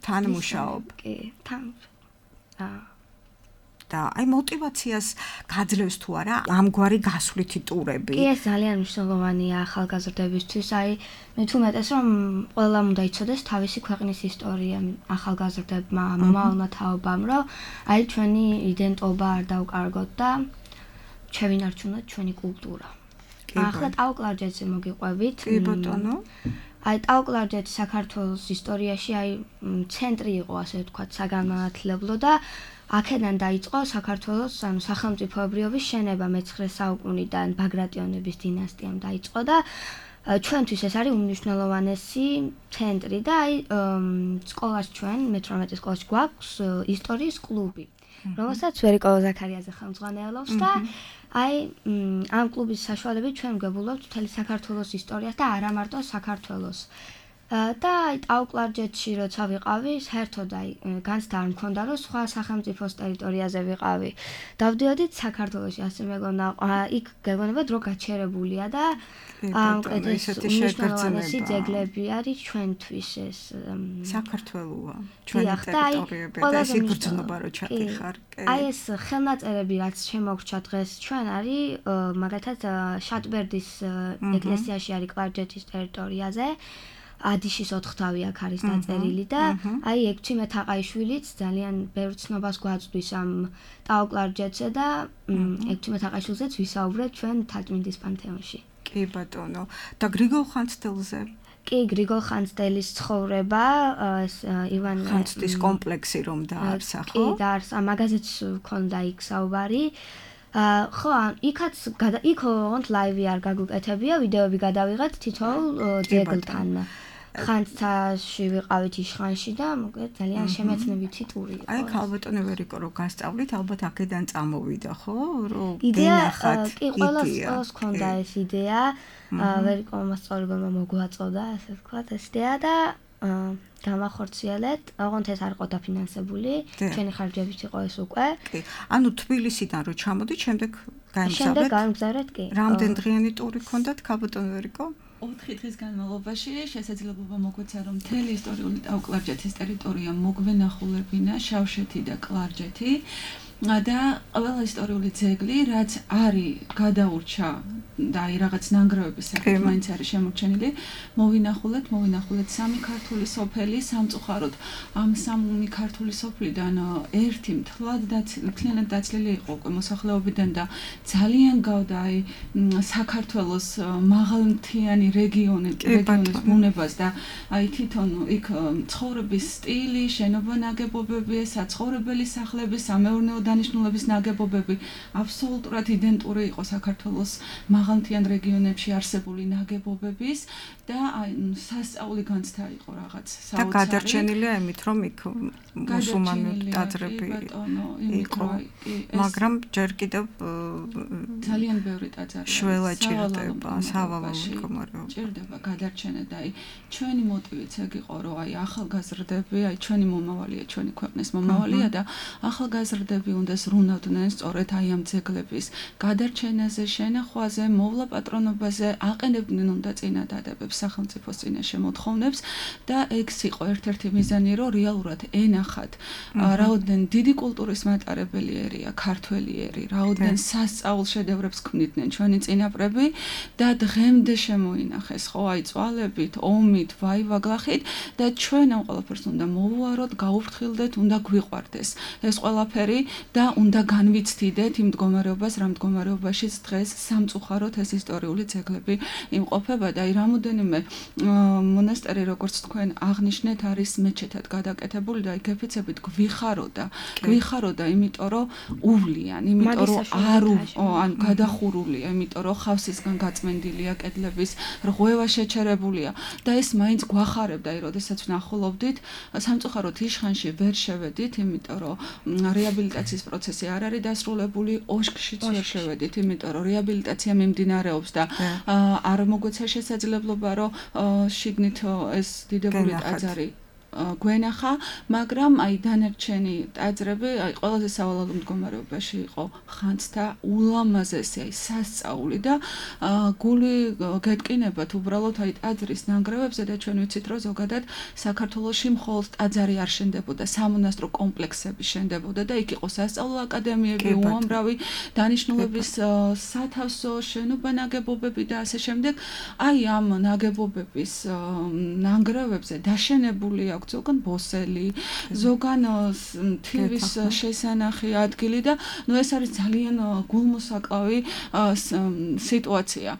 თან მუშაობ? კი, თან და აი мотивაციას გაძლევს თუ არა ამგვარი გასვლითი ტურები? კი, ეს ძალიან მნიშვნელოვანია ახალგაზრდებისთვის. აი მე თუ მეტეს რომ ყველამ უნდა იცოდეს თავისი ქვეყნის ისტორია ახალგაზრდებმა, მომავალმა თაობამ, რომ აი ჩვენი იდენტობა არ დავკარგოთ და შევინარჩუნოთ ჩვენი კულტურა. ახლა ტაო-კლარჯეთზე მოგიყვებით. კი ბატონო. აი ტაო-კლარჯეთი საქართველოს ისტორიაში აი ცენტრი იყო, ასე ვთქვათ, საგანმანათლებლო და აქედან დაიწყო საქართველოს ანუ სახელმწიფოებრიობის შენება მეცხრე საუკუნიდან ბაგრატიონების დინასტიამ დაიწყო და ჩვენთვის ეს არის უმნიშვნელოვანესი ცენტრი და აი სკოლაში ჩვენ მეთორმეტე სკოლაში გვაქვს ისტორიის კლუბი, რომელსაც ვერიკო ზაქარიაძე ხელმძღვანელობს და აი ამ კლუბის საშუალებით ჩვენ გვგებულობთ მთელი საქართველოს ისტორიას და არა მარტო საქართველოს. და აი ტაო-კლარჯეთში როცა ვიყავი, საერთოდ აი განცდა არ მქონდა რომ სხვა სახელმწიფოს ტერიტორიაზე ვიყავი. დავდიოდით საქართველოში, ასე მეგონა იქ გეგონება დრო გაჩერებულია და ამ ეს უმნიშვნელოვანესი ძეგლები არის ჩვენთვის ეს საქართველოა, ჩვენი ტერიტორიები და ეს იგრძნობა რო ჩატიხარ. აი ეს ხელნაწერები რაც შემოგრჩა დღეს ჩვენ არის მაგალითად შატბერდის ეკლესიაში არის კლარჯეთის ტერიტორიაზე. ადიშის ოთხთავი აქ არის დაწერილი და აი ექვთიმე თაყაიშვილიც ძალიან ბევრ ცნობას გვაწვდის ამ ტაო-კლარჯეთზე და ექვთიმე თაყაიშვილზეც ვისაუბრეთ ჩვენ თათმინდის პანთეონში. კი ბატონო. და გრიგოლ ხანძთელზე? კი, გრიგოლ ხანძთელის ცხოვრება, ეს ივან ხანძთის კომპლექსი რომ დაარსა, ხო? კი, დაარსა, მაგაზეც მქონდა იქ საუბარი. ხო, იქაც იქ ოღონდ ლაივი არ გაგუკეთებია, ვიდეოები გადავიღეთ თითოეულ ძეგლთან. ხანძთაში ვიყავით იშხანში და მოკლედ ძალიან შემეცნებითი ტური იყო. აი ქალბატონი ვერიკო რო გასწავლით, ალბათ აქედან წამოვიდა, ხო? რომ გენახათ. კი, ყველას ყველას ქონდა ეს იდეა. ვერიკო მასწავლებელმა მოგვაწოდა, ასე ვთქვათ, ეს იდეა და გამახორციელეთ. ოღონდ ეს არ იყო დაფინანსებული. ჩვენი ხარჯებით იყო ეს უკვე. კი. ანუ თბილისიდან რო ჩამოდით, შემდეგ გაემგზავრეთ? შემდეგ გაემგზავრეთ, კი. რამდენ დღიანი ტური ქონდათ ქალბატონ ვერიკო? ოთხი დღის განმავლობაში შესაძლებლობა მოგვეცა რომ მთელი ისტორიული ტაო-კლარჯეთის ტერიტორია მოგვენახულებინა, შავშეთი და კლარჯეთი. და ყველა ისტორიული ძეგლი, რაც არის გადაურჩა და აი რაღაც ნანგრევების სახით მაინც არის შემორჩენილი, მოვინახულეთ, მოვინახულეთ სამი ქართული სოფელი სამწუხაროდ. ამ სამი ქართული სოფლიდან ერთი მთლად მთლიანად დაცლილი იყო უკვე მოსახლეობიდან და ძალიან გავდა აი საქართველოს მაღალმთიანი რეგიონი, რეგიონის ბუნებას და აი თვითონ იქ ცხოვრების სტილი, შენობა ნაგებობები, საცხოვრებელი სახლები, სამეურნეო დანიშნულების ნაგებობები აბსოლუტურად იდენტური იყო საქართველოს მაღალმთიან რეგიონებში არსებული ნაგებობების და აი სასწაული განცდა იყო რაღაც საოცარი. და გადარჩენილია იმით, რომ იქ მუსულმანური ტაძრები იყო, მაგრამ ჯერ კიდევ ძალიან ბევრი ტაძარი შველა ჭირდება, სავალალო მდგომარეობა. ჭირდება გადარჩენა და აი ჩვენი მოტივიც ეგ იყო, რომ აი ახალგაზრდები, აი ჩვენი მომავალია, ჩვენი ქვეყნის მომავალია და ახალგაზრდები უნდა ზრუნავდნენ სწორედ აი ამ ძეგლების გადარჩენაზე, შენახვაზე, მოვლა პატრონობაზე, აყენებდნენ უნდა წინადადებებს სახელმწიფოს წინაშე მოთხოვნებს და ეგს იყო ერთ-ერთი მიზანი, რომ რეალურად ენახათ რაოდენ დიდი კულტურის მატარებელი ერია ქართველი ერი, რაოდენ სასწაულ შედევრებს ქმნიდნენ ჩვენი წინაპრები და დღემდე შემოინახეს, ხო, აი წვალებით, ომით, ვაივაგლახით და ჩვენ ამ ყველაფერს უნდა მოვუაროთ, გაუფრთხილდეთ, უნდა გვიყვარდეს ეს ყველაფერი და უნდა განვიცდიდეთ იმ მდგომარეობას, რა მდგომარეობაშიც დღეს სამწუხაროდ ეს ისტორიული ძეგლები იმყოფება და აი რამოდენიმე მონასტერი, როგორც თქვენ აღნიშნეთ, არის მეჩეთად გადაკეთებული და აი გეფიცებით გვიხაროდა, გვიხაროდა, იმიტომ რომ უვლიან, იმიტომ რომ არ ან გადახურულია, იმიტომ რომ ხავსისგან გაწმენდილია კედლების რღვევა შეჩერებულია და ეს მაინც გვახარებდა, აი როდესაც ვნახულობდით, სამწუხაროდ იშხანში ვერ შევედით, იმიტომ რომ რეაბილიტაციის პროცესი არ არის დასრულებული, ოშკშიც ვერ შევედით, იმიტომ რომ რეაბილიტაცია მიმდინარეობს და არ მოგვეცა შესაძლებლობა, რომ შიგნით ეს დიდებული ტაძარი გვენახა, მაგრამ აი დანარჩენი ტაძრები აი ყველაზე სავალალო მდგომარეობაში იყო ხანძთა ულამაზესი აი სასწაული და გული გეტკინებათ უბრალოდ აი ტაძრის ნანგრევებზე და ჩვენ ვიცით რომ ზოგადად საქართველოში მხოლოდ ტაძარი არ შენდებოდა, სამონასტრო კომპლექსები შენდებოდა და იქ იყო სასწავლო აკადემიები, უამრავი დანიშნულების სათავსო, შენობა ნაგებობები და ასე შემდეგ. აი ამ ნაგებობების ნანგრევებზე დაშენებული ზოგან ბოსელი, ზოგან თივის შესანახი ადგილი და ნუ ეს არის ძალიან გულმოსაკლავი სიტუაცია.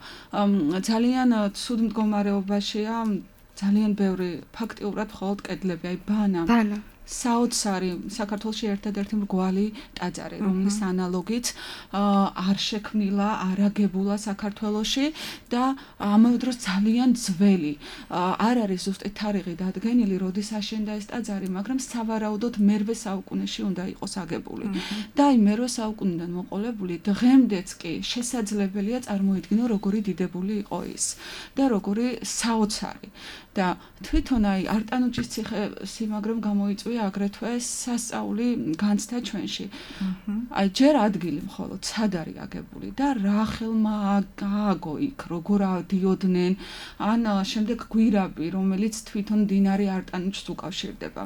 ძალიან ცუდ მდგომარეობაშია, ძალიან ბევრი ფაქტიურად მხოლოდ კედლები, აი ბანა. ბანა. საოცარი საქართველოში ერთადერთი მრგვალი ტაძარი, რომლის ანალოგიც არ შექმნილა, არ აგებულა საქართველოში და ამავე დროს ძალიან ძველი. არ არის ზუსტი თარიღი დადგენილი, როდის აშენდა ეს ტაძარი, მაგრამ სავარაუდოდ მერვე საუკუნეში უნდა იყოს აგებული. და აი მერვე საუკუნიდან მოყოლებული დღემდეც კი შესაძლებელია წარმოიდგინო, როგორი დიდებული იყო ის და როგორი საოცარი. და თვითონ აი არტანუჯის ციხე სიმაგრემ გამოიწვია აგრეთვე სასწაული განცდა ჩვენში. აი ჯერ ადგილი მხოლოდ სად არის აგებული და რა ხელმა გააგო იქ, როგორ ადიოდნენ, ან შემდეგ გვირაბი, რომელიც თვითონ მდინარე არტანუჯს უკავშირდება.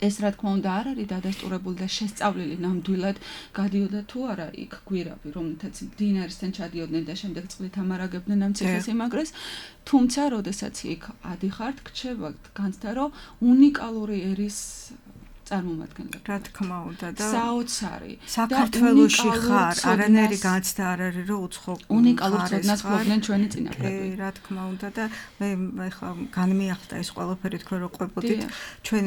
ეს რა თქმა უნდა არ არის დადასტურებული და შესწავლილი ნამდვილად გადიოდა თუ არა იქ გვირაბი, რომელთაც მდინარესთან ჩადიოდნენ და შემდეგ წყლით ამარაგებდნენ ამ ციხესიმაგრეს, თუმცა როდესაც იქ ადიხართ, გრჩება განცდა, რომ უნიკალური ერის წარმომადგენლები. რა თქმა უნდა და საოცარი. საქართველოში ხარ, არანაირი განცდა არ არის, რომ უცხო უნიკალურ ცოდნას ფლობდნენ ჩვენი წინაპრები. კი, რა თქმა უნდა და მე ეხლა განმეახდა ეს ყველაფერი თქვენ რო ყვებოდით. ჩვენ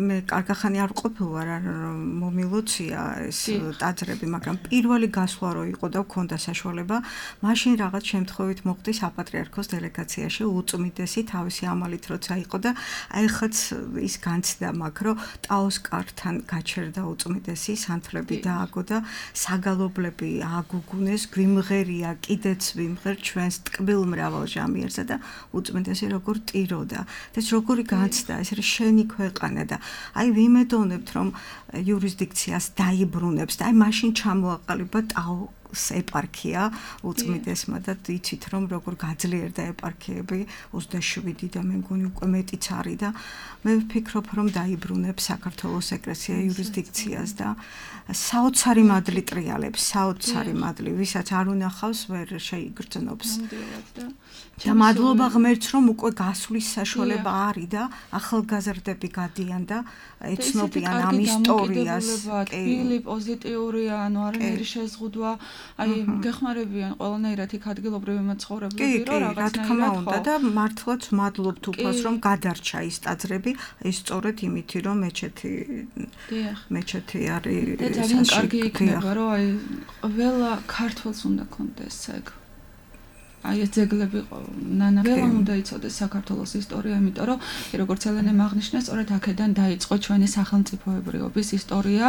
მე კარგახანი არ ყოფილ ვარ, რომ მომილოცია ეს ტაძრები, მაგრამ პირველი გასვლა რო იყო და მქონდა საშუალება, მაშინ რაღაც შემთხვევით მოხდი საპატრიარქოს დელეგაციაში უწმიდესი თავისი ამალით როცა იყო და აი ხაც ის განცდა მაქვს, რომ ოსკართან გაჩერდა უწმიდესი სანთლები დააგო და საგალობლები აგუგუნეს, გვიმღერია, კიდეც ვიმღერ ჩვენს ტკბილ მრავალ ჟამიერსა და უწმიდესი როგორ ტიროდა. ეს როგორი განცდა, ეს არის შენი ქვეყანა და აი ვიმედოვნებთ რომ იურისდიქციას დაიბრუნებს და აი მაშინ ჩამოაყალიბა ტაო ეპარქია უწმიდესმა და იცით რომ როგორ გაძლიერდა ეპარქიები ოცდაშვიდი და მე მგონი უკვე მეტიც არის და მე ვფიქრობ რომ დაიბრუნებს საქართველოს ეკლესია იურისდიქციას და საოცარი მადლი ტრიალებს საოცარი მადლი ვისაც არ უნახავს ვერ შეიგრძნობს და მადლობა ღმერთს რომ უკვე გასვლის საშუალება არის და ახალგაზრდები გადიან და ეცნობიან ამ ისტორიას კი პოზიტიურია ანუ არანაირი შეზღუდვა აი გეხმარებიან ყველანაირად იქ ადგილობრივი მაცხოვრებლები რომ რაღაცნაირად ხო და მართლაც მადლობთ უფალს რომ გადარჩა ის ტაძრები ეს სწორედ იმითი რომ მეჩეთი მეჩეთი არის და ძალიან კარგი იქნება რომ აი ყველა ქართველს უნდა კონდეს ეგ აი ეს ძეგლები ნანა ველა უნდა იცოდეს საქართველოს ისტორია, იმიტომ რომ როგორც ელენემ აღნიშნა, სწორედ აქედან დაიწყო ჩვენი სახელმწიფოებრიობის ისტორია,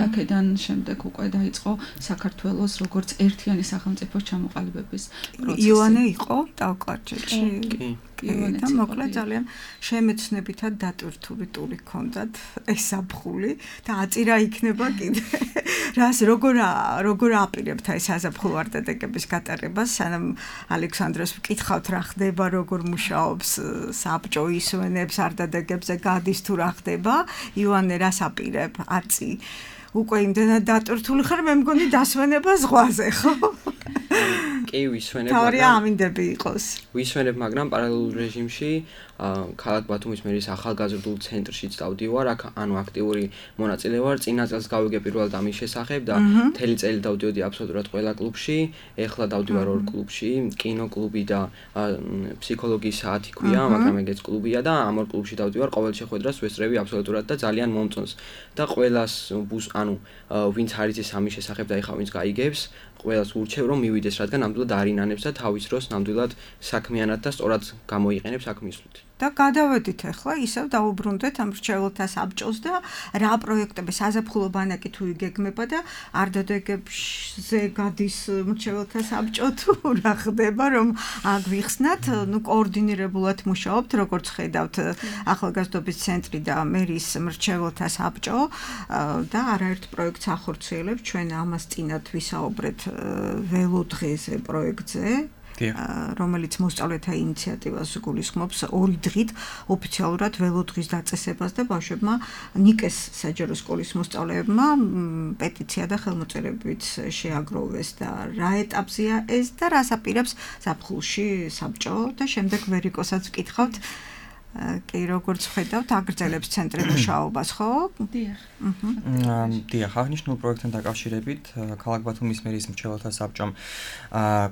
აქედან შემდეგ უკვე დაიწყო საქართველოს როგორც ერთიანი სახელმწიფოს ჩამოყალიბების პროცესი. იოანე იყო ტავკარჯეთში. კი. და მოკლედ ძალიან შემეცნებითად დატვირთული ტური ჰქონდათ ეს საფხული და აწირა იქნება კიდე. რას როგორ როგორ აპირებთ აი საზაფხულო არდადეგების გატარებას, სანამ ალექსანდრეს ვკითხავთ რა ხდება, როგორ მუშაობს საბჭო ისვენებს არდადეგებზე გადის თუ რა ხდება, იოანე რას აპირებ? აწი უკვე იმდენად დატვირთული ხარ, მე მგონი დასვენება ზღვაზე, ხო? კი, ვისვენებ, მაგრამ თავი ამინდები იყოს. ვისვენებ, მაგრამ პარალელურ რეჟიმში ქალაქ ბათუმის მერის ახალგაზრდულ ცენტრშიც დავდივარ, აქ ანუ აქტიური მონაწილე ვარ. წინა წელს გავიგე პირველად ამის შესახებ და მთელი წელი დავდიოდი აბსოლუტურად ყველა კლუბში. ეხლა დავდივარ ორ კლუბში, კინოკლუბი და ფსიქოლოგიის საათი ქვია, მაგრამ ეგეც კლუბია და ამ ორ კლუბში დავდივარ. ყოველ შეხვედრას ვესწრები აბსოლუტურად და ძალიან მომწონს. და ყველას ბუს ანუ ვინც არის ეს ამის შესახებ და ეხლა ვინც გაიგებს, ყველას ურჩევ რომ მივიდეს, რადგან ნამდვილად არინანებს და თავის დროს ნამდვილად საქმიანად და სწორად გამოიყენებს აქ მისვლით. და გადავედით ახლა ისევ დაუბრუნდეთ ამ რჩეულთა საბჭოს და რა პროექტები საზაფხულო ბანაკი თუ იგეგმება და არდადეგებზე გადის რჩეულთა საბჭო თუ რა ხდება რომ აქ ვიხსნათ, ნუ კოორდინირებულად მუშაობთ, როგორც ხედავთ ახალგაზრდობის ცენტრი და მერის რჩეულთა საბჭო და არაერთ პროექტს ახორციელებს. ჩვენ ამას წინათ ვისაუბრეთ ველოდღეზე პროექტზე. რომელიც მოსწავლეთა ინიციატივას გულისხმობს ორი დღით ოფიციალურად ველოდღის დაწესებას და ბავშვებმა ნიკეს საჯარო სკოლის მოსწავლეებმა პეტიცია და ხელმოწერებით შეაგროვეს და რა ეტაპზეა ეს და რას აპირებს ზაფხულში საბჭო და შემდეგ ვერიკოსაც ვკითხავთ კი როგორც ხედავთ აგრძელებს ცენტრი მუშაობას ხო? დიახ. აჰა. დიახ, აღნიშნულ პროექტთან დაკავშირებით ქალაქ ბათუმის მერის მრჩეველთა საბჭომ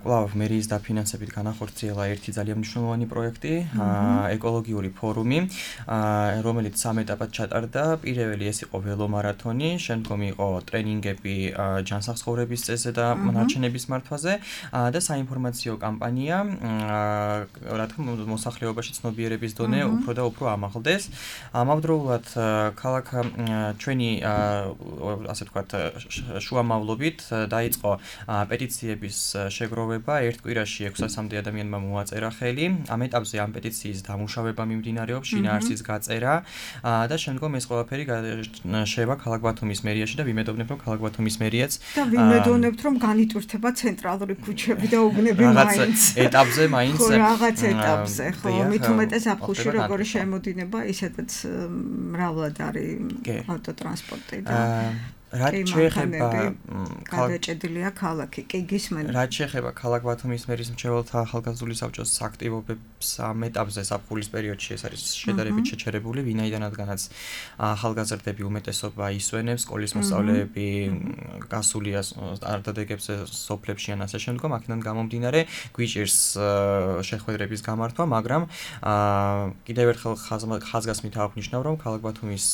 კვლავ მერის დაფინანსებით განახორციელა ერთი ძალიან მნიშვნელოვანი პროექტი, ეკოლოგიური ფორუმი, რომელიც სამ ეტაპად ჩატარდა. პირველი ეს იყო ველომარათონი, შემდგომ იყო ტრენინგები ჯანსაღწევრების წესზე და ნარჩენების მართვაზე და საინფორმაციო კამპანია, რა თქმა უნდა, მოსახლეობაში ცნობიერების დონე უფრო და უფრო ამაღლდეს. ამავდროულად ქალაქ ჩვენი ასე ვთქვათ შუამავლობით დაიწყო პეტიციების შეგროვება. ერთ კვირაში ექვსასამდე ადამიანმა მოაწერა ხელი. ამ ეტაპზე ამ პეტიციის დამუშავება მიმდინარეობს, შინაარსის გაწერა და შემდგომ ეს ყველაფერი შევა ქალაქ ბათუმის მერიაში და ვიმედოვნებ რომ ქალაქ ბათუმის მერიაც და ვიმედოვნებთ რომ განიტვირთება ცენტრალური ქუჩები და უბნები მაინც რაღაც ეტაპზე მაინც ხო რაღაც ეტაპზე ხო მით უმეტეს ზაფხულში როგორი შემოდინება, ისედაც მრავლად არის ავტოტრანსპორტი და რაც შეეხება გადაჭედილია ქალაქი, კი გისმენთ. რაც შეეხება ქალაქ ბათუმის მერის მრჩეველთა ახალგაზრდული საბჭოს აქტივობებს ამ ეტაპზე საფხულის პერიოდში ეს არის შედარებით შეჩერებული, ვინაიდანაც ახალგაზრდები უმეტესობა ისვენებს, სკოლის მოსწავლეები გასულია არდადეგებზე სოფლებში ან ასე შემდგომ, აქედან გამომდინარე გვიჭირს შეხვედრების გამართვა, მაგრამ კიდევ ერთხელ ხაზგასმით აღნიშნავ, რომ ქალაქ ბათუმის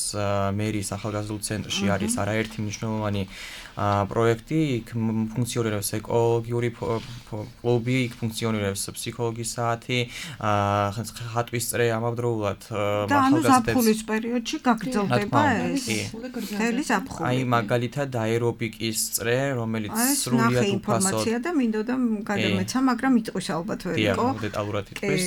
მერის ახალგაზრდულ ცენტრში არის არაერთი მნიშვნელოვანი პროექტი, იქ ფუნქციონირებს ეკოლოგიური კლუბი, იქ ფუნქციონირებს ფსიქოლოგიის საათი, ხატვის წრე ამავდროულად და ანუ ზაფხულის პერიოდში გაგრძელდება ეს მთელი ზაფხული. აი მაგალითად აერობიკის წრე, რომელიც სრულიად უფასოდ ინფორმაცია და მინდოდა გადამეცა, მაგრამ იტყვის ალბათ ვერიკო. დიახ, დეტალურად იტყვის.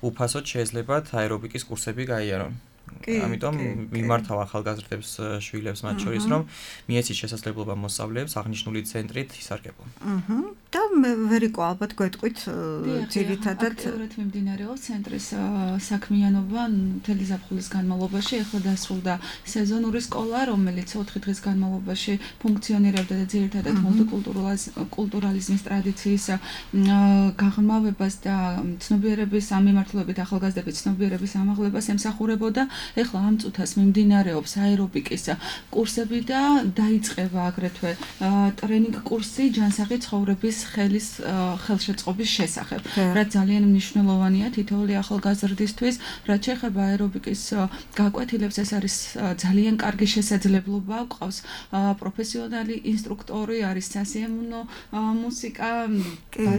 უფასოდ შეიძლებათ აერობიკის კურსები გაიარონ. ამიტომ მიმართავ ახალგაზრდებს შვილებს მათ შორის რომ მიეცით შესაძლებლობა მოსწავლეებს აღნიშნული ცენტრით ისარგებლონ. აჰა. და მე ვერიკო ალბათ გვეტყვით ძირითადად აქტიურად მიმდინარეობს ცენტრის საქმიანობა მთელი ზაფხულის განმავლობაში. ახლა დასრულდა სეზონური სკოლა, რომელიც ოთხი დღის განმავლობაში ფუნქციონირებდა და ძირითადად მულტიკულტურალიზმის ტრადიციის გაღრმავებას და ცნობიერების ამიმართლებით ახალგაზრდების ცნობიერების ამაღლებას ემსახურებოდა. ახლა ამ წუთას მიმდინარეობს აერობიკის კურსები და დაიწყება აგრეთვე ტრენინგ კურსი ჯანსაღი ცხოვრების ხელის ხელშეწყობის შესახებ. რაც ძალიან მნიშვნელოვანია თითოეული ახალგაზრდისთვის, რაც შეეხება აერობიკის გაკვეთილებს, ეს არის ძალიან კარგი შესაძლებლობა, გვყავს პროფესიონალი ინსტრუქტორი, არის სასიამოვნო მუსიკა,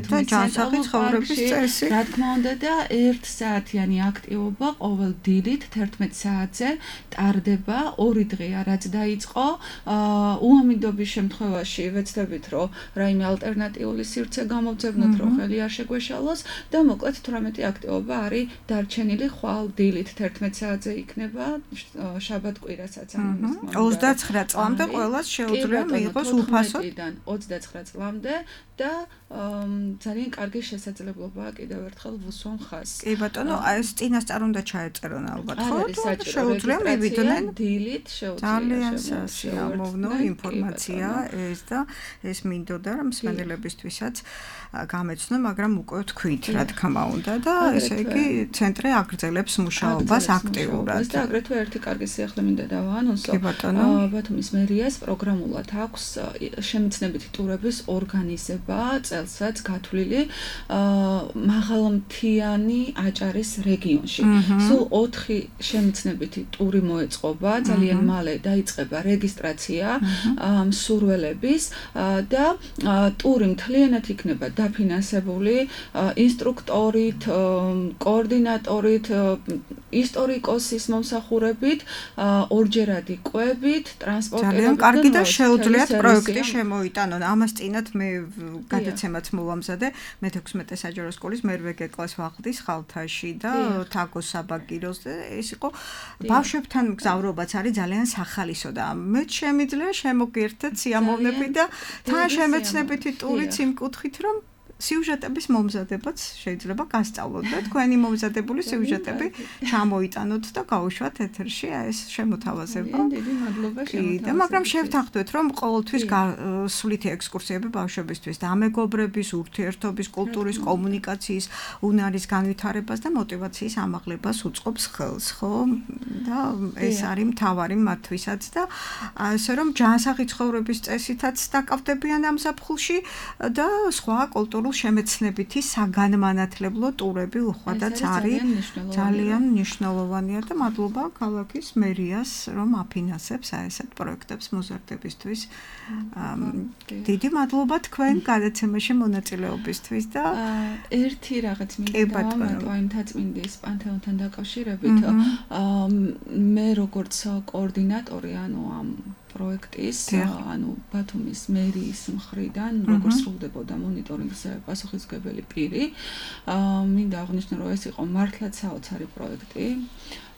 და ჯანსაღი ცხოვრების წესი. რა თქმა უნდა და ერთ საათიანი აქტივობა ყოველ დილით თერთმეტ საათზე ტარდება, ორი დღეა რაც დაიწყო. უამიდობის შემთხვევაში ვეცდებით, რომ რაიმე ალტერნატიული სივრცე გამოვძებნოთ, რომ ხელი არ შეგვეშალოს და მოკლედ თვრამეტი აქტივობა არის დარჩენილი ხვალ დილით თერთმეტ საათზე იქნება შაბათ-კვირასაც ამის ოცდაცხრა წლამდე ყველას შეუძლია მიიღოს უფასოდ ოცდაცხრა წლამდე და ძალიან კარგი შესაძლებლობაა კიდევ ერთხელ ვუსვამ ხაზს. კი ბატონო, ეს წინასწარ უნდა ჩაეწერონ ალბათ, ხო? შეუძლია მივიდნენ დილით, შეუძლია. ძალიან სასიამოვნო ინფორმაცია ეს და ეს მინდოდა რომ მსმენელებისთვისაც გამეცნო, მაგრამ უკვე თქვით, რა თქმა უნდა და ესე იგი ცენტრი აგრძელებს მუშაობას აქტიურად. და აგრეთვე ერთი კარგი სიახლე მინდა დავაანონსო. ბათუმის მერიას პროგრამულად აქვს შემეცნებითი ტურების ორგანიზება წელსაც გათვლილი მაღალმთიანი აჭარის რეგიონში. სულ ოთხი შემეცნებითი ტური მოეწყობა, ძალიან მალე დაიწყება რეგისტრაცია მსურველების და ტური მთლიანად იქნება დაფინანსებული ინსტრუქტორით, კოორდინატორით, ისტორიკოსის მომსახურებით, ორჯერადი კვებით, ტრანსპორტირებით. ძალიან კარგი და შეუძლიათ პროექტი შემოიტანონ. ამას წინათ მე გადაცემაც მოვამზადე მეთექვსმეტე საჯარო სკოლის მერვე გეკლას ვახდის ხალთაში და თაგოს საბაგიროს და ეს იყო ბავშვებთან მგზავრობაც არის ძალიან სახალისო და მე შემიძლია შემოგერთდეთ სიამოვნები და თან შემეცნებითი ტურიც იმ კუთხით რომ სიუჟეტების მომზადებაც შეიძლება გასწავლოთ და თქვენი მომზადებული სიუჟეტები ჩამოიტანოთ და გავუშვათ ეთერში ეს შემოთავაზება. დიდი მადლობა შემოთავაზებისთვის. და მაგრამ შევთანხმდეთ რომ ყოველთვის სვლითი ექსკურსიები ბავშვებისთვის და ამეგობრების, ურთიერთობის, კულტურის, კომუნიკაციის, უნარის განვითარებას და мотиваციის ამაღლებას უწყობს ხელს, ხო? და ეს არის მთავარი მათთვისაც და ასე რომ ჯანსაღი ცხოვრების წესითაც დაკავდებიან ამ ზაფხულში და სხვა კულტურულ შემეცნებითი საგანმანათლებლო ტურები უხვადაც არის ძალიან მნიშვნელოვანია და მადლობა ქალაქის მერიას რომ აფინანსებს ესეთ პროექტებს მოზარდებისთვის. დიდი მადლობა თქვენ გადაცემაში მონაწილეობისთვის და ერთი რაღაც მინდა ამ თაწმინდის პანთეონთან დაკავშირებით მე როგორც კოორდინატორი ანუ ამ პროექტის, ანუ ბათუმის მერიის მხრიდან როგორ სრულდებოდა მონიტორინგზე პასუხისმგებელი პირი, მინდა აღნიშნო, რომ ეს იყო მართლაც საოცარი პროექტი,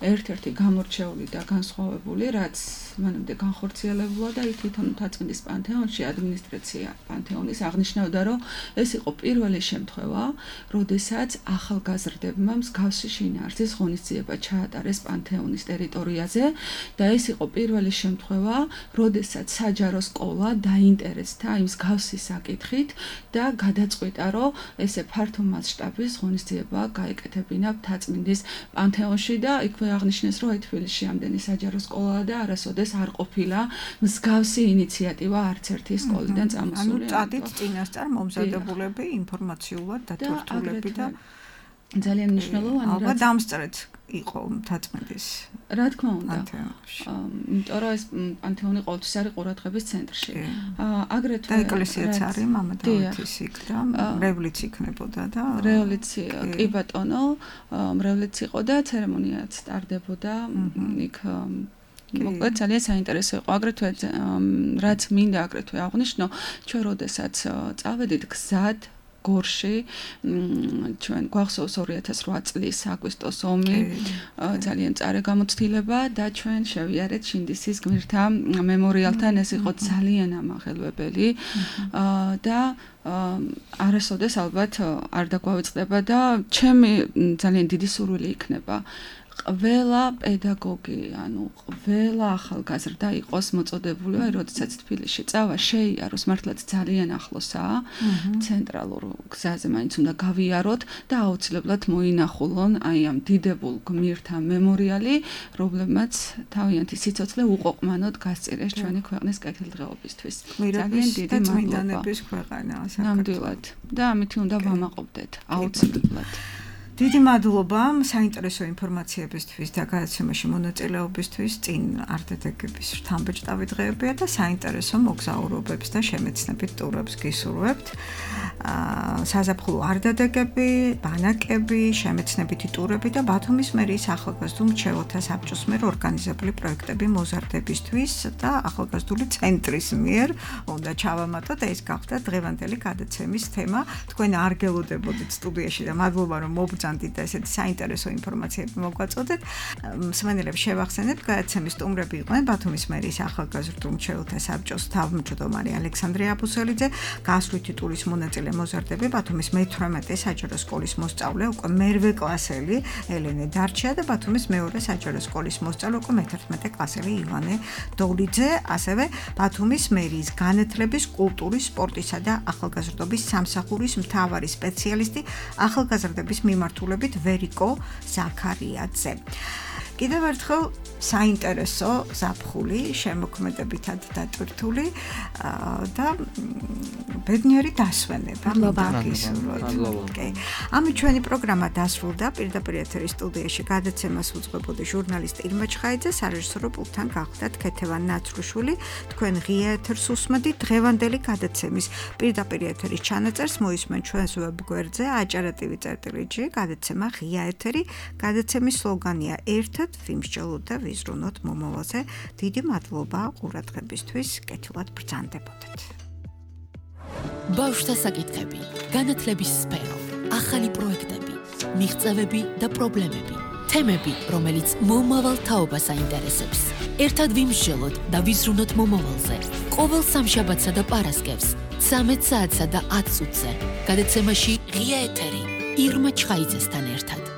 ერთ-ერთი გამორჩეული და განსხვავებული, რაც მანამდე განხორციელებულა და თვითონ თაწმინდის პანთეონში ადმინისტრაცია პანთეონის აღნიშნავდა, რომ ეს იყო პირველი შემთხვევა, როდესაც ახალგაზრდებმა მსგავსი შინაარსის ღონისძიება ჩაატარეს პანთეონის ტერიტორიაზე და ეს იყო პირველი შემთხვევა, როდესაც საჯარო სკოლა დაინტერესდა იმ მსგავსი საკითხით და გადაწყვიტა, რომ ესე ფართო მასშტაბის ღონისძიება გაეკეთებინა თაწმინდის პანთეონში და იქვე აღნიშნეს, რომ თბილისში ამდენი საჯარო სკოლაა და არასოდეს არ ყოფილა მსგავსი ინიციატივა არც ერთი სკოლიდან წამოსული. ანუ წადით წინასწარ მომზადებულები ინფორმაციულად დათურთულები და ძალიან მნიშვნელოვანი რა ალბათ დამსწრეთ იყო თაწმინდის. რა თქმა უნდა. იმიტომ რომ ეს პანთეონი ყოველთვის არის ყურადღების ცენტრში. აგრეთვე და ეკლესიაც არის მამა დავითის იქ და რევლიც იქნებოდა და რევლიც კი ბატონო, რევლიც იყო და ცერემონიაც ტარდებოდა იქ მოკლედ ძალიან საინტერესო იყო. აგრეთვე რაც მინდა აგრეთვე აღნიშნო, ჩვენ როდესაც წავედით გზად გორში ჩვენ გვახსოვს ორი ათას ოთხ წლის აგვისტოს ომი ძალიან წარე გამოცდილება და ჩვენ შევიარეთ შინდისის გმირთა მემორიალთან ეს იყო ძალიან ამაღელვებელი და არასოდეს ალბათ არ დაგვავიწყდება და ჩემი ძალიან დიდი სურვილი იქნება ყველა პედაგოგი, ანუ ყველა ახალგაზრდა იყოს მოწოდებული, აი როდესაც თბილისში წავა, შეიაროს, მართლაც ძალიან ახლოსაა, ცენტრალურ გზაზე მაინც უნდა გავიაროთ და აუცილებლად მოინახულონ აი ამ დიდებულ გმირთა მემორიალი, რომლებმაც თავიანთი სიცოცხლე უყოყმანოდ გასწირეს ჩვენი ქვეყნის კეთილდღეობისთვის. ძალიან დიდი მადლობა. ნამდვილად. და ამითი უნდა ვამაყობდეთ, აუცილებლად. დიდი მადლობა საინტერესო ინფორმაციებისთვის და გადაცემაში მონაწილეობისთვის. წინ არტ-დეკების შთამბეჭდავი დღეებია და საინტერესო მოგზაურობებს და შემეცნებით ტურებს გისურვებთ. საზაფხულო არტ-დეკები, ბანაკები, შემეცნებითი ტურები და ბათუმის მერიის ახალგაზრდულ მრჩეველთა საბჭოს მიერ ორგანიზებული პროექტები მოზარდებისთვის და ახალგაზრდული ცენტრის მიერ უნდა ჩავამატოთ. ეს გახდა დღევანდელი გადაცემის თემა. თქვენ არ გელოდებოდით სტუდიაში და მადლობა რომ მობრძანდით და ესეთი საინტერესო ინფორმაციები მოგვაწოდეთ. მსმენელებს შევახსენებთ, გადაცემის სტუმრები იყვნენ ბათუმის მერიის ახალგაზრდულ მრჩეველთა საბჭოს თავმჯდომარე ალექსანდრე აბუსელიძე, გასვლითი ტურის მონაწილე მოზარდები ბათუმის მეთვრამეტე საჯარო სკოლის მოსწავლე, უკვე მერვე კლასელი ელენე დარჩია და ბათუმის მეორე საჯარო სკოლის მოსწავლე, უკვე მეთერთმეტე კლასელი ივანე დოლიძე, ასევე ბათუმის მერიის განათლების, კულტურის, სპორტისა და ახალგაზრდობის სამსახურის მთავარი სპეციალისტი ახალგაზრდების მიმართულებით ვერიკო ზაქარიაძე. კიდევ ერთხელ საინტერესო ზაფხული შემოქმედებითად დატვირთული და ბედნიერი დასვენება მოგისურვოთ. ამით ჩვენი პროგრამა დასრულდა. პირდაპირ ეთერის სტუდიაში გადაცემას უძღვებოდი ჟურნალისტ ირმა ჩხაიძე, სარეჟისორო პულტთან გახლდათ ქეთევან ნაცრუშვილი. თქვენ ღია ეთერს უსმენთ. დღევანდელი გადაცემის პირდაპირ ეთერის ჩანაწერს მოისმენ ჩვენს ვებგვერდზე აჭარა.tv წერტილი.gr. გადაცემა ღია ეთერი. გადაცემის სლოგანია ერთად ვიმსჯელოთ და ვიზრუნოთ მომავალზე. დიდი მადლობა ყურადღებისთვის. კეთილად ბრძანდებოდეთ. ბავშვთა საკითხები, განათლების სფერო, ახალი პროექტები, მიღწევები და პრობლემები, თემები, რომელიც მომავალ თაობას აინტერესებს. ერთად ვიმსჯელოთ და ვიზრუნოთ მომავალზე. ყოველ სამშაბათსა და პარასკევს, ცამეტ საათსა და ათ წუთზე. გადაცემაში ღია ეთერი ირმა ჩხაიძესთან ერთად.